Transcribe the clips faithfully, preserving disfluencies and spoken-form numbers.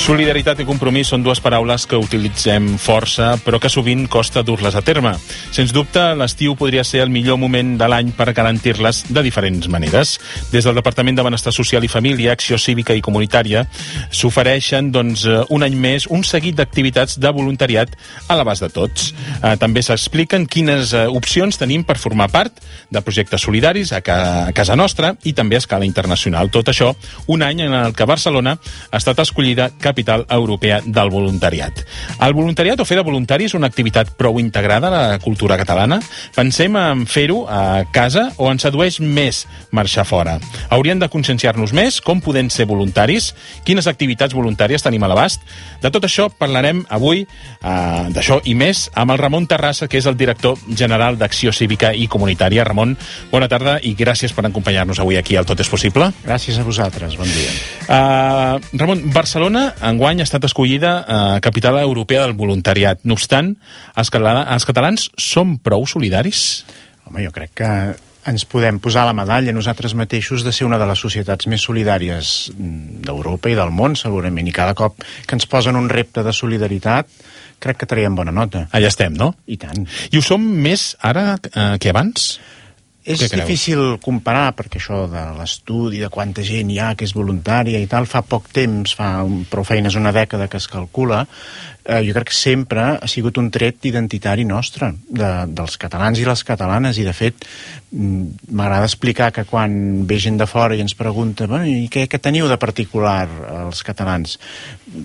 Solidaritat i compromís són dues paraules que utilitzem força, però que sovint costa dur-les a terme. Sens dubte, l'estiu podria ser el millor moment de l'any per garantir-les de diferents maneres. Des del Departament de Benestar Social i Família, Acció Cívica i Comunitària, s'ofereixen, doncs, un any més un seguit d'activitats de voluntariat a l'abast de tots. Eh, també s'expliquen quines eh, opcions tenim per formar part de projectes solidaris a, ca a casa nostra i també a escala internacional. Tot això, un any en el que Barcelona ha estat escollida capital europea del voluntariat. El voluntariat o fer de voluntari és una activitat prou integrada a la cultura catalana? Pensem en fer-ho a casa o ens sedueix més marxar fora? Hauríem de conscienciar-nos més? Com podem ser voluntaris? Quines activitats voluntàries tenim a l'abast? De tot això parlarem avui, eh, d'això i més, amb el Ramon Terrassa, que és el director general d'Acció Cívica i Comunitària. Ramon, bona tarda i gràcies per acompanyar-nos avui aquí al Tot és Possible. Gràcies a vosaltres, bon dia. Uh, Ramon, Barcelona enguany ha estat escollida eh, capital europea del voluntariat. No obstant, els, els catalans som prou solidaris? Home, jo crec que ens podem posar la medalla nosaltres mateixos de ser una de les societats més solidàries d'Europa i del món, segurament. I cada cop que ens posen un repte de solidaritat, crec que traiem bona nota. Allà estem, no? I tant. I ho som més ara eh, que abans? És difícil comparar, perquè això de l'estudi, de quanta gent hi ha que és voluntària i tal, fa poc temps, fa prou feines una dècada que es calcula, eh, jo crec que sempre ha sigut un tret identitari nostre, de, dels catalans i les catalanes, i de fet m'agrada explicar que quan ve gent de fora i ens pregunta bueno, i què, què teniu de particular els catalans?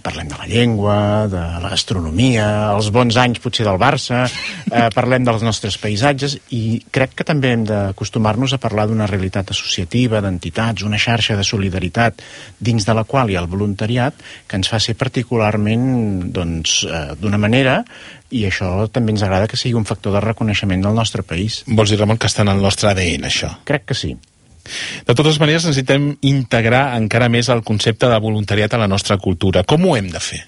Parlem de la llengua, de la gastronomia, els bons anys potser del Barça, eh, parlem dels nostres paisatges, i crec que també hem d'acostumar-nos a parlar d'una realitat associativa, d'entitats, una xarxa de solidaritat dins de la qual hi ha el voluntariat que ens fa ser particularment doncs, eh, d'una manera, i això també ens agrada que sigui un factor de reconeixement del nostre país. Vols dir, Ramon, que està en el nostre A D N, això? Crec que sí. De totes maneres, necessitem integrar encara més el concepte de voluntariat a la nostra cultura. Com ho hem de fer?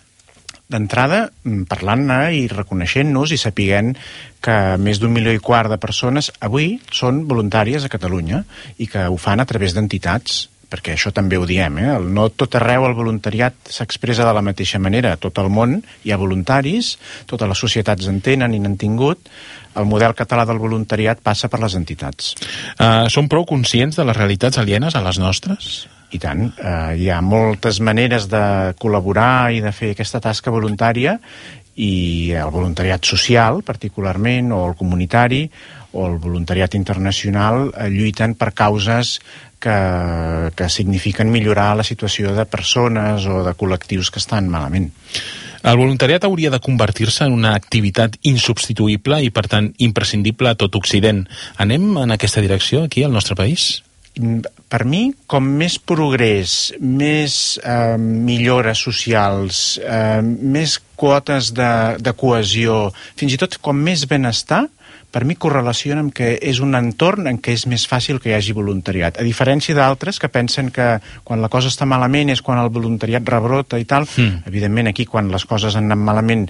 D'entrada, parlant-ne i reconeixent-nos i sapiguent que més d'un milió i quart de persones avui són voluntàries a Catalunya i que ho fan a través d'entitats, perquè això també ho diem, eh? No tot arreu el voluntariat s'expressa de la mateixa manera. A tot el món hi ha voluntaris, totes les societats en tenen i n'han tingut. El model català del voluntariat passa per les entitats. Uh, som prou conscients de les realitats alienes a les nostres? I tant. Uh, hi ha moltes maneres de col·laborar i de fer aquesta tasca voluntària, i el voluntariat social, particularment, o el comunitari, o el voluntariat internacional, eh, lluiten per causes que, que signifiquen millorar la situació de persones o de col·lectius que estan malament. El voluntariat hauria de convertir-se en una activitat insubstituïble i, per tant, imprescindible a tot Occident. Anem en aquesta direcció aquí, al nostre país? Per mi, com més progrés, més eh, millores socials, eh, més quotes de, de cohesió, fins i tot com més benestar, per mi correlaciona amb que és un entorn en què és més fàcil que hi hagi voluntariat. A diferència d'altres que pensen que quan la cosa està malament és quan el voluntariat rebrota i tal. Mm. Evidentment, aquí, quan les coses han anat malament,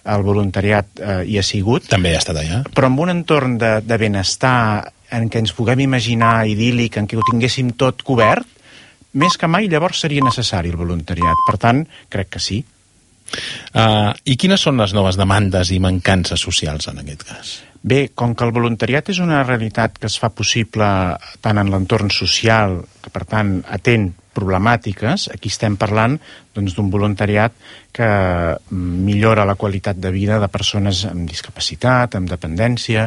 el voluntariat eh, hi ha sigut. També ha estat allà. Però en un entorn de, de benestar en què ens puguem imaginar idíl·lic, en què ho tinguéssim tot cobert, més que mai llavors seria necessari el voluntariat. Per tant, crec que sí. Uh, I quines són les noves demandes i mancances socials en aquest cas? Bé, com que el voluntariat és una realitat que es fa possible tant en l'entorn social, que per tant atén problemàtiques, aquí estem parlant doncs, d'un voluntariat que millora la qualitat de vida de persones amb discapacitat, amb dependència.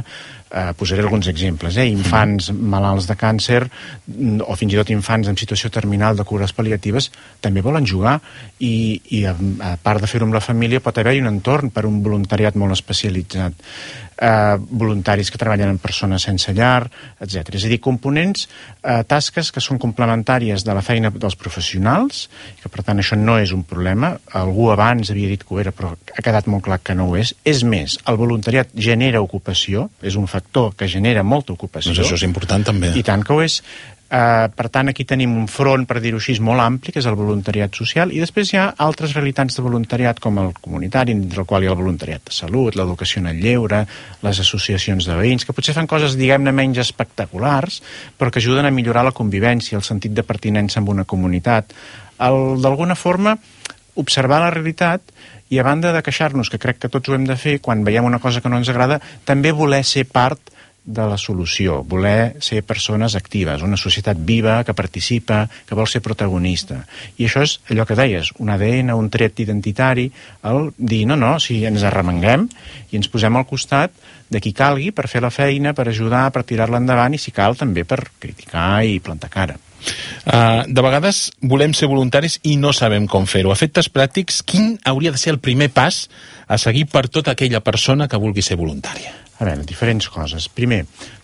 Eh, posaré alguns exemples. Eh? Infants malalts de càncer o fins i tot infants en situació terminal de cures pal·liatives també volen jugar i, i a, a part de fer-ho amb la família pot haver-hi un entorn per un voluntariat molt especialitzat. Eh, voluntaris que treballen amb persones sense llar, etcètera. És a dir, components, eh, tasques que són complementàries de la feina dels professionals, que per tant això no és un problema. Algú abans havia dit que ho era, però ha quedat molt clar que no ho és. És més, el voluntariat genera ocupació, és un factor que genera molta ocupació. Doncs això és important també. I tant que ho és. Uh, per tant, aquí tenim un front, per dir-ho així, molt ampli, que és el voluntariat social, i després hi ha altres realitats de voluntariat, com el comunitari, entre el qual hi ha el voluntariat de salut, l'educació en el lleure, les associacions de veïns, que potser fan coses, diguem-ne, menys espectaculars, però que ajuden a millorar la convivència, el sentit de pertinença amb una comunitat. D'alguna forma, observar la realitat i, a banda de queixar-nos, que crec que tots ho hem de fer quan veiem una cosa que no ens agrada, també voler ser part de la solució, voler ser persones actives, una societat viva que participa, que vol ser protagonista. I això és allò que deies, un A D N, un tret identitari, el dir, no, no, si ens arremanguem i ens posem al costat de qui calgui per fer la feina, per ajudar, per tirar-la endavant i, si cal, també per criticar i plantar cara. Uh, de vegades volem ser voluntaris i no sabem com fer-ho. A efectes pràctics, quin hauria de ser el primer pas a seguir per tota aquella persona que vulgui ser voluntària? A veure, diferents coses. Primer,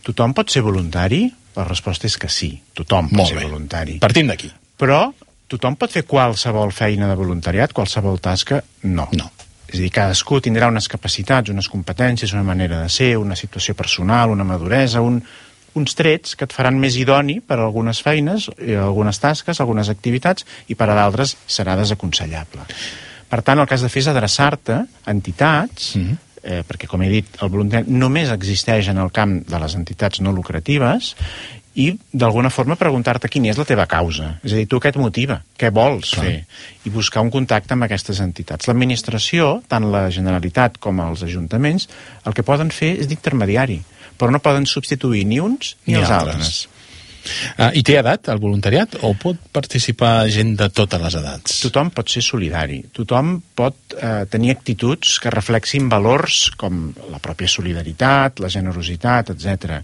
tothom pot ser voluntari? La resposta és que sí, tothom pot ser voluntari. Partim d'aquí. Però tothom pot fer qualsevol feina de voluntariat, qualsevol tasca? No. No. És a dir, cadascú tindrà unes capacitats, unes competències, una manera de ser, una situació personal, una maduresa, un, uns trets que et faran més idoni per a algunes feines, algunes tasques, algunes activitats, i per a d'altres serà desaconsellable. Per tant, el que has de fer és adreçar-te a entitats, mm-hmm. eh, perquè, com he dit, el voluntariat només existeix en el camp de les entitats no lucratives, i d'alguna forma preguntar-te quina és la teva causa. És a dir, tu què et motiva? Què vols Clar. fer? I buscar un contacte amb aquestes entitats. L'administració, tant la Generalitat com els ajuntaments, el que poden fer és d'intermediari, però no poden substituir ni uns ni, ni els altres. altres. Uh, I té edat, el voluntariat, o pot participar gent de totes les edats? Tothom pot ser solidari. Tothom pot eh, tenir actituds que reflexin valors com la pròpia solidaritat, la generositat, etcètera.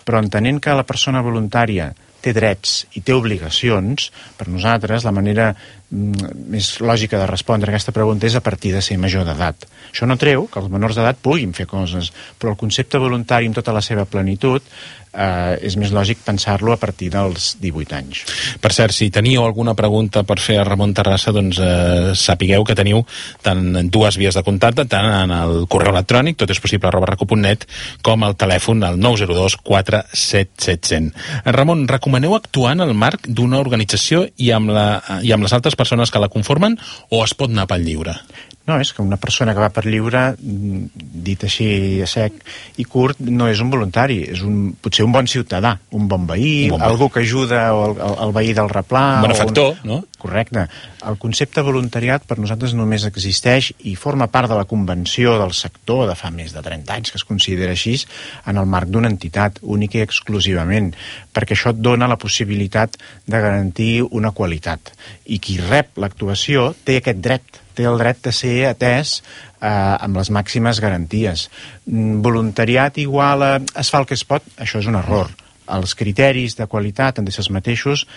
Però entenent que la persona voluntària té drets i té obligacions, per nosaltres la manera mm, més lògica de respondre a aquesta pregunta és a partir de ser major d'edat. Això no treu que els menors d'edat puguin fer coses, però el concepte voluntari en tota la seva plenitud eh, és més lògic pensar-lo a partir dels divuit anys. Per cert, si teniu alguna pregunta per fer a Ramon Terrassa, doncs eh, sapigueu que teniu tant dues vies de contacte, tant en el correu electrònic, tot és possible arroba raco punt net, com el telèfon al nou zero dos quatre set set zero zero. Ramon, recomaneu actuar en el marc d'una organització i amb, la, i amb les altres persones que la conformen, o es pot anar pel lliure? No, és que una persona que va per lliure, dit així a sec i curt, no és un voluntari, és un, potser un bon ciutadà, un bon veí, un bon veí. Algú que ajuda el, el, el veí del replà... Un benefactor, un... no? Correcte. El concepte voluntariat per nosaltres només existeix i forma part de la convenció del sector de fa més de trenta anys, que es considera així, en el marc d'una entitat, única i exclusivament, perquè això et dona la possibilitat de garantir una qualitat. I qui rep l'actuació té aquest dret, té el dret de ser atès eh, amb les màximes garanties. Mm, voluntariat igual a es fa el que es pot, això és un error. Els criteris de qualitat han de ser els mateixos,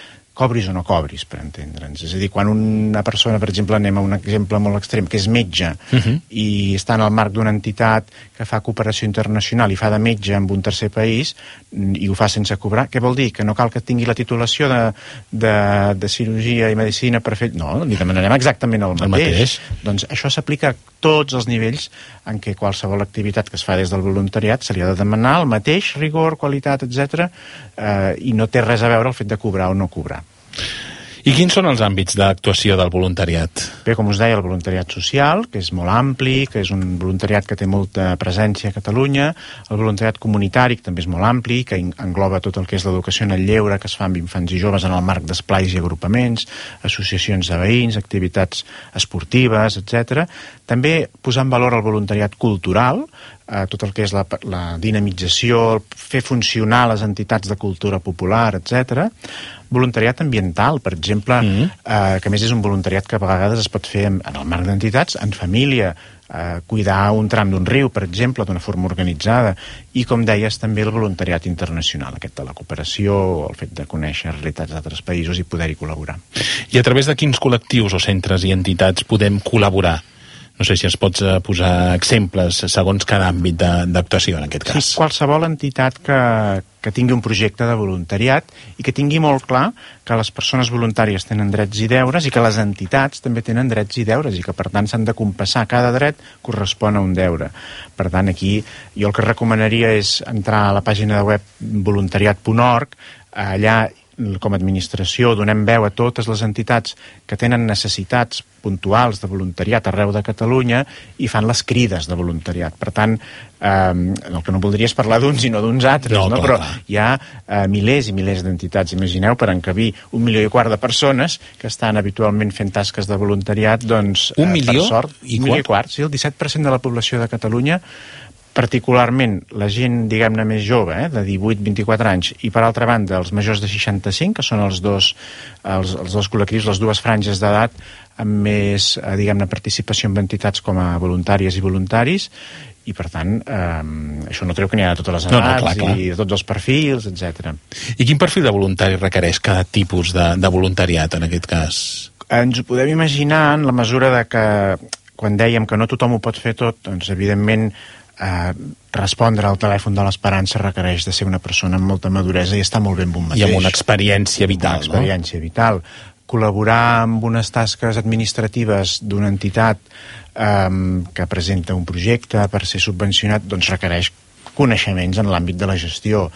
cobris o no cobris, per entendre'ns. És a dir, quan una persona, per exemple, anem a un exemple molt extrem, que és metge, uh-huh. i està en el marc d'una entitat que fa cooperació internacional i fa de metge en un tercer país, i ho fa sense cobrar, què vol dir? Que no cal que tingui la titulació de, de, de cirurgia i medicina per fer... No, li demanarem exactament el mateix. El mateix. Doncs això s'aplica a tots els nivells en què qualsevol activitat que es fa des del voluntariat se li ha de demanar el mateix rigor, qualitat, etcètera, eh, i no té res a veure el fet de cobrar o no cobrar. I quins són els àmbits d'actuació del voluntariat? Bé, com us deia, el voluntariat social, que és molt ampli, que és un voluntariat que té molta presència a Catalunya, el voluntariat comunitari, que també és molt ampli, que engloba tot el que és l'educació en el lleure, que es fa amb infants i joves en el marc d'esplais i agrupaments, associacions de veïns, activitats esportives, etcètera. També posar en valor el voluntariat cultural, eh, tot el que és la, la dinamització, fer funcionar les entitats de cultura popular, etcètera. Voluntariat ambiental, per exemple, mm-hmm. eh, que a més és un voluntariat que a vegades es pot fer en, en el marc d'entitats, en família, eh, cuidar un tram d'un riu, per exemple, d'una forma organitzada, i, com deies, també el voluntariat internacional, aquest de la cooperació, el fet de conèixer realitats d'altres països i poder-hi col·laborar. I a través de quins col·lectius o centres i entitats podem col·laborar? No sé si ens pots uh, posar exemples segons cada àmbit d'actuació, en aquest cas. Sí, qualsevol entitat que, que tingui un projecte de voluntariat i que tingui molt clar que les persones voluntàries tenen drets i deures i que les entitats també tenen drets i deures i que, per tant, s'han de compassar. Cada dret correspon a un deure. Per tant, aquí jo el que recomanaria és entrar a la pàgina de web voluntariat punt org. Allà com a administració donem veu a totes les entitats que tenen necessitats puntuals de voluntariat arreu de Catalunya i fan les crides de voluntariat. Per tant, eh, el que no voldria és parlar d'uns i no d'uns altres, no, no? Clar, però clar. hi ha eh, milers i milers d'entitats. Imagineu, per encabir un milió i quart de persones que estan habitualment fent tasques de voluntariat, doncs, un eh, milió? per sort, I un milió i quart, sí, el disset per cent de la població de Catalunya, particularment la gent, diguem-ne, més jove, eh, de divuit a vint-i-quatre anys, i per altra banda els majors de seixanta-cinc, que són els dos, els, els dos col·lectius, les dues franges d'edat amb més, eh, diguem-ne, participació en entitats com a voluntàries i voluntaris, i per tant, eh, això no treu que n'hi ha de totes les edats, no, no, clar, clar. i de tots els perfils, etcètera. I quin perfil de voluntari requereix cada tipus de, de voluntariat, en aquest cas? Ens ho podem imaginar en la mesura de que, quan dèiem que no tothom ho pot fer tot, doncs, evidentment, Eh, respondre al telèfon de l'Esperança requereix de ser una persona amb molta maduresa i estar molt ben amb un mateix. I amb una experiència vital, una experiència no? vital. Col·laborar amb unes tasques administratives d'una entitat eh, que presenta un projecte per ser subvencionat, doncs requereix coneixements en l'àmbit de la gestió.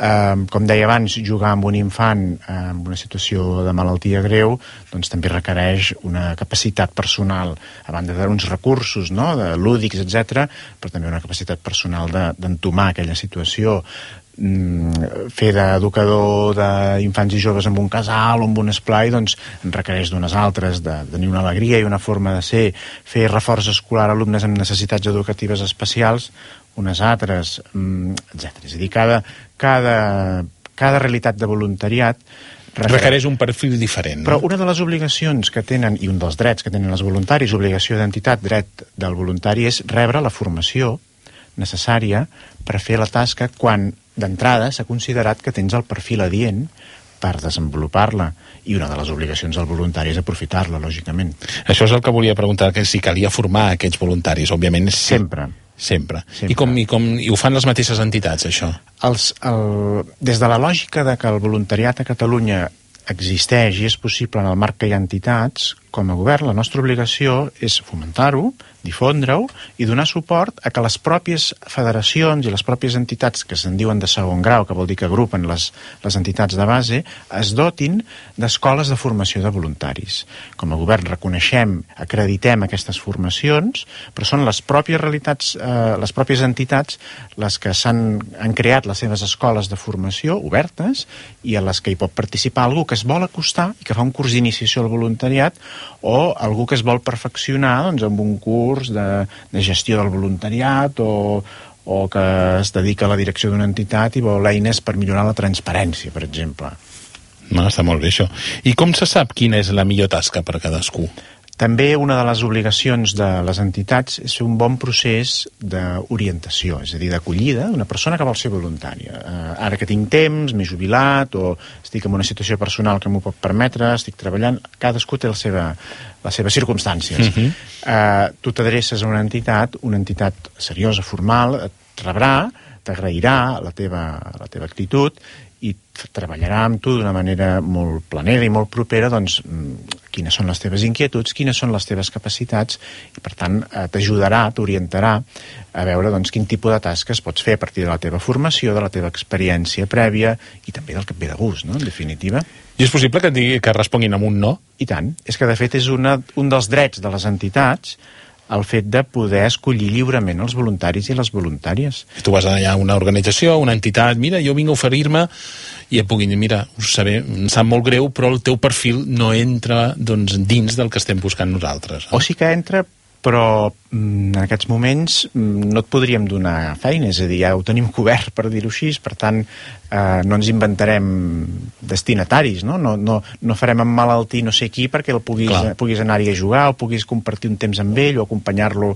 Eh, com deia abans, jugar amb un infant eh, en una situació de malaltia greu doncs també requereix una capacitat personal, a banda d'uns recursos, no?, de lúdics, etcètera, però també una capacitat personal de, d'entomar aquella situació. Mm, fer d'educador d'infants i joves amb un casal o amb un esplai doncs en requereix d'unes altres, de, de tenir una alegria i una forma de ser. Fer reforç escolar a alumnes amb necessitats educatives especials, unes altres, etcètera. És a dir, cada, cada, cada realitat de voluntariat requereix, requereix un perfil diferent. Però una de les obligacions que tenen, i un dels drets que tenen els voluntaris, obligació d'entitat, dret del voluntari, és rebre la formació necessària per fer la tasca quan d'entrada s'ha considerat que tens el perfil adient per desenvolupar-la, i una de les obligacions del voluntari és aprofitar-la, lògicament. Això és el que volia preguntar, que si calia formar aquests voluntaris, òbviament. Sí. Sempre. Sempre. Sempre. I, com, i, com, I ho fan les mateixes entitats, això? Els, el, des de la lògica de que el voluntariat a Catalunya existeix i és possible en el marc que hi ha entitats, com a govern la nostra obligació és fomentar-ho, difondre-ho i donar suport a que les pròpies federacions i les pròpies entitats que se'n diuen de segon grau, que vol dir que agrupen les, les entitats de base, es dotin d'escoles de formació de voluntaris. Com a govern reconeixem, acreditem aquestes formacions, però són les pròpies realitats, eh, les pròpies entitats les que s'han han creat les seves escoles de formació obertes i a les que hi pot participar algú que es vol acostar i que fa un curs d'iniciació al voluntariat, o algú que es vol perfeccionar doncs, amb un curs de, de gestió del voluntariat o, o que es dedica a la direcció d'una entitat i vol eines per millorar la transparència, per exemple. No, està molt bé, això. I com se sap quina és la millor tasca per a cadascú? També una de les obligacions de les entitats és fer un bon procés d'orientació, és a dir, d'acollida d'una persona que vol ser voluntària. Eh, ara que tinc temps, m'he jubilat, o estic en una situació personal que m'ho pot permetre, estic treballant, cadascú té la seva, les seves circumstàncies. Uh-huh. eh, tu t'adreces a una entitat, una entitat seriosa, formal, et rebrà, t'agrairà la teva, la teva actitud i treballarà amb tu d'una manera molt planera i molt propera, doncs, quines són les teves inquietuds, quines són les teves capacitats, i per tant t'ajudarà, t'orientarà a veure doncs, quin tipus de tasques pots fer a partir de la teva formació, de la teva experiència prèvia i també del que et ve de gust, no?, en definitiva. I és possible que, et digui, que responguin amb un no? I tant. És que, de fet, és una, un dels drets de les entitats el fet de poder escollir lliurement els voluntaris i les voluntàries. Tu vas allà a una organització, a una entitat, mira, jo vinc a oferir-me, i et puguin dir, mira, us saber, em sap molt greu, però el teu perfil no entra doncs, dins del que estem buscant nosaltres. No? O sí que entra, però en aquests moments no et podríem donar feina, és a dir, ja ho tenim cobert, per dir-ho així, per tant, eh, no ens inventarem destinataris, no? No, no, no farem emmalaltir no sé qui perquè el puguis, puguis anar-hi a jugar o puguis compartir un temps amb ell o acompanyar-lo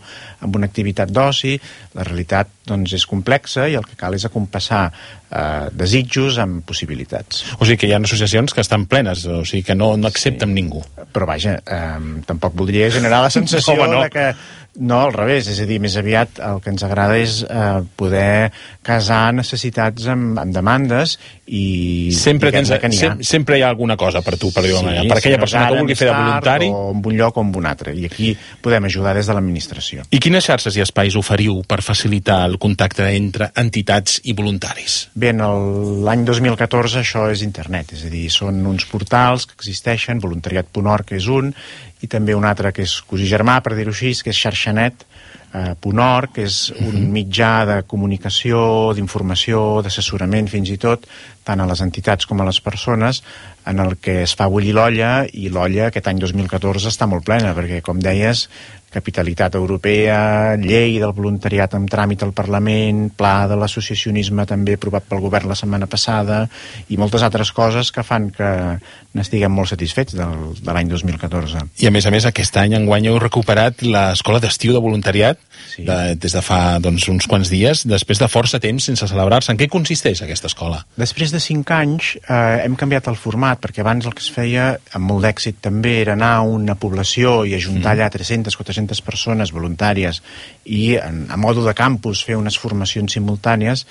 amb una activitat d'oci. La realitat doncs, és complexa i el que cal és acompassar eh, desitjos amb possibilitats. O sigui que hi ha associacions que estan plenes, o sigui que no, no accepten sí. ningú. Però vaja, eh, tampoc voldria generar la sensació no, no. de que No, al revés, és a dir, més aviat el que ens agrada és eh, poder casar necessitats amb, amb demandes i... Sempre, tens, que n'hi ha. sem, sempre hi ha alguna cosa per tu, per dir-ho sí, manera. Per aquella persona que vulgui fer de voluntari... O en un lloc o en un altre, i aquí podem ajudar des de l'administració. I quines xarxes i espais oferiu per facilitar el contacte entre entitats i voluntaris? Bé, l'any dos mil catorze això és internet, és a dir, són uns portals que existeixen, voluntariat punt org és un, i també un altre que és cosí germà, per dir-ho així, que és xarxanet punt org, que és un mitjà de comunicació, d'informació, d'assessorament fins i tot, tant a les entitats com a les persones, en el que es fa bullir l'olla, i l'olla aquest any dos mil catorze està molt plena, perquè, com deies, capitalitat europea, llei del voluntariat amb tràmit al Parlament, pla de l'associacionisme també aprovat pel govern la setmana passada, i moltes altres coses que fan que n'estiguem molt satisfets del, de l'any dos mil catorze. I a més a més, aquest any enguany heu recuperat l'escola d'estiu de voluntariat sí. de, des de fa doncs, uns quants dies, després de força temps sense celebrar-se. En què consisteix aquesta escola? Després de cinc anys eh, hem canviat el format, perquè abans el que es feia, amb molt d'èxit també, era anar a una població i ajuntar mm. allà tres-centes, quatre-centes persones voluntàries i en, a mòdul de campus fer unes formacions simultànies.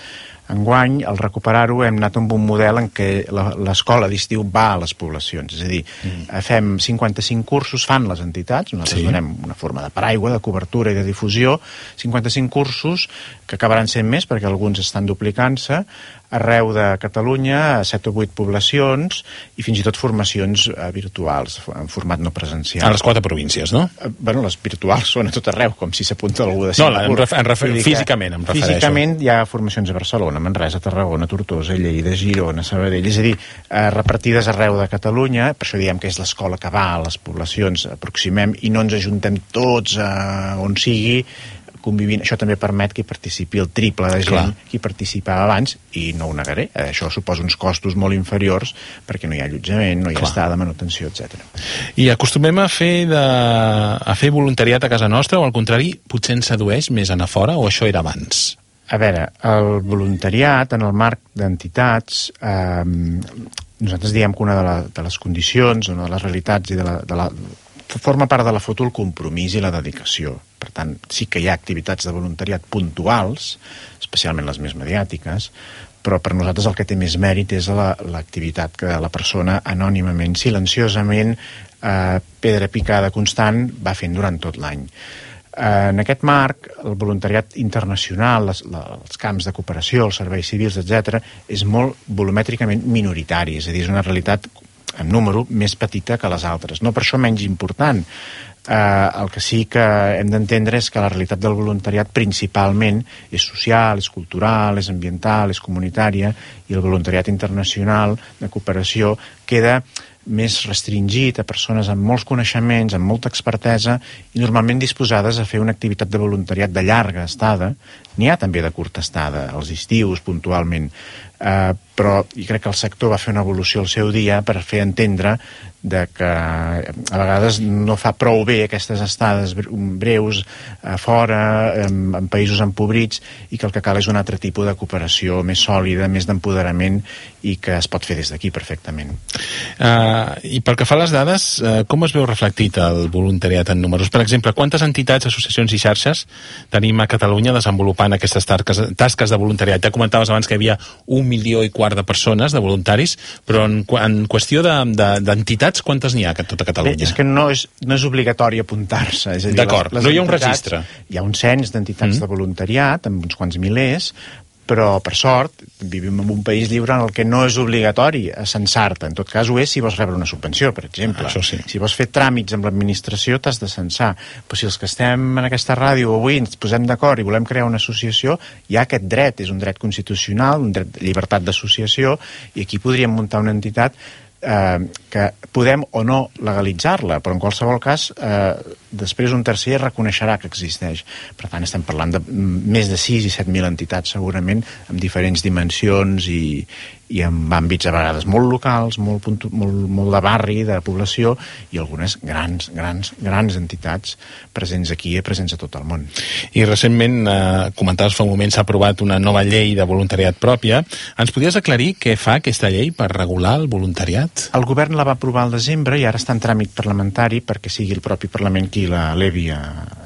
Enguany, al recuperar-ho, hem anat amb un model en què l'escola d'estiu va a les poblacions. És a dir, mm. fem cinquanta-cinc cursos, fan les entitats, nosaltres sí. donem una forma de paraigua, de cobertura i de difusió, cinquanta-cinc cursos que acabaran sent més perquè alguns estan duplicant-se, arreu de Catalunya, a set o vuit poblacions, i fins i tot formacions eh, virtuals, en format no presencial. A les quatre províncies, no? Eh, bueno, les virtuals són a tot arreu, com si s'apunta algú de Singapur. No, en refer, en refer, físicament em refereixo. Físicament hi ha formacions a Barcelona, Manresa, Tarragona, Tortosa, Lleida, Girona, Sabadell, és a dir, eh, repartides arreu de Catalunya, per això diem que és l'escola que va a les poblacions, aproximem i no ens ajuntem tots a on sigui, convivint. Això també permet que hi participi el triple de gent Clar. que hi participava abans, i no ho negaré, això suposa uns costos molt inferiors perquè no hi ha allotjament, no hi ha Clar. estada, manutenció, etcètera. I acostumem a fer, de... a fer voluntariat a casa nostra, o al contrari, potser ens sedueix més anar fora, o això era abans? A veure, el voluntariat en el marc d'entitats, eh, nosaltres diem que una de, la, de les condicions, una de les realitats i de la, de la forma part de la foto el compromís i la dedicació. Per tant, sí que hi ha activitats de voluntariat puntuals, especialment les més mediàtiques, però per nosaltres el que té més mèrit és l'activitat que la persona anònimament, silenciosament, eh, pedra picada constant, va fent durant tot l'any. En aquest marc, el voluntariat internacional, les, la, els camps de cooperació, els serveis civils, etcètera, és molt volumètricament minoritari, és a dir, és una realitat en número més petita que les altres. No per això menys important. Eh, el que sí que hem d'entendre és que la realitat del voluntariat principalment és social, és cultural, és ambiental, és comunitària, i el voluntariat internacional de cooperació queda més restringit a persones amb molts coneixements, amb molta expertesa i normalment disposades a fer una activitat de voluntariat de llarga estada. N'hi ha també de curta estada, als estius, puntualment. Uh, però jo crec que el sector va fer una evolució al seu dia per fer entendre de que a vegades no fa prou bé aquestes estades breus a fora, en, en països empobrits, i que el que cal és un altre tipus de cooperació més sòlida, més d'empoderament, i que es pot fer des d'aquí perfectament. Uh, I pel que fa a les dades, uh, com es veu reflectit el voluntariat en números? Per exemple, quantes entitats, associacions i xarxes tenim a Catalunya desenvolupant aquestes tasques, tasques de voluntariat? Ja comentaves abans que hi havia un milió i quart de persones, de voluntaris, però en, en qüestió d'entitats, de, de, quantes n'hi ha a tota Catalunya? Bé, és que no és, no és obligatori apuntar-se. D'acord, no hi ha un registre. Hi ha un cens d'entitats mm. de voluntariat, amb uns quants milers, però, per sort, vivim en un país lliure en el que no és obligatori censar-te. En tot cas, ho és si vols rebre una subvenció, per exemple. Això sí. Si vols fer tràmits amb l'administració, t'has de censar. Però si els que estem en aquesta ràdio avui ens posem d'acord i volem crear una associació, hi ha aquest dret, és un dret constitucional, un dret de llibertat d'associació, i aquí podríem muntar una entitat eh, que podem o no legalitzar-la, però en qualsevol cas eh, després un tercer reconeixerà que existeix. Per tant, estem parlant de més de sis i set mil entitats, segurament, amb diferents dimensions i, i amb àmbits a vegades molt locals, molt, molt, molt de barri, de població, i algunes grans, grans, grans entitats presents aquí i presents a tot el món. I recentment, eh, comentaves fa un moment, s'ha aprovat una nova llei de voluntariat pròpia. Ens podries aclarir què fa aquesta llei per regular el voluntariat? El govern la va aprovar al desembre i ara està en tràmit parlamentari perquè sigui el propi Parlament qui sigui la l'EVIA,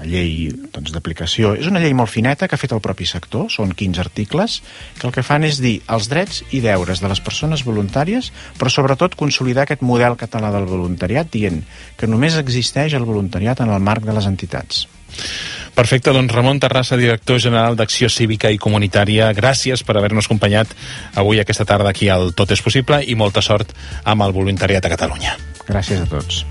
llei doncs, d'aplicació. És una llei molt fineta que ha fet el propi sector, són quinze articles, que el que fan és dir els drets i deures de les persones voluntàries, però sobretot consolidar aquest model català del voluntariat, dient que només existeix el voluntariat en el marc de les entitats. Perfecte, doncs Ramon Terrassa, director general d'Acció Cívica i Comunitària, gràcies per haver-nos acompanyat avui aquesta tarda aquí al Tot és Possible i molta sort amb el voluntariat a Catalunya. Gràcies a tots.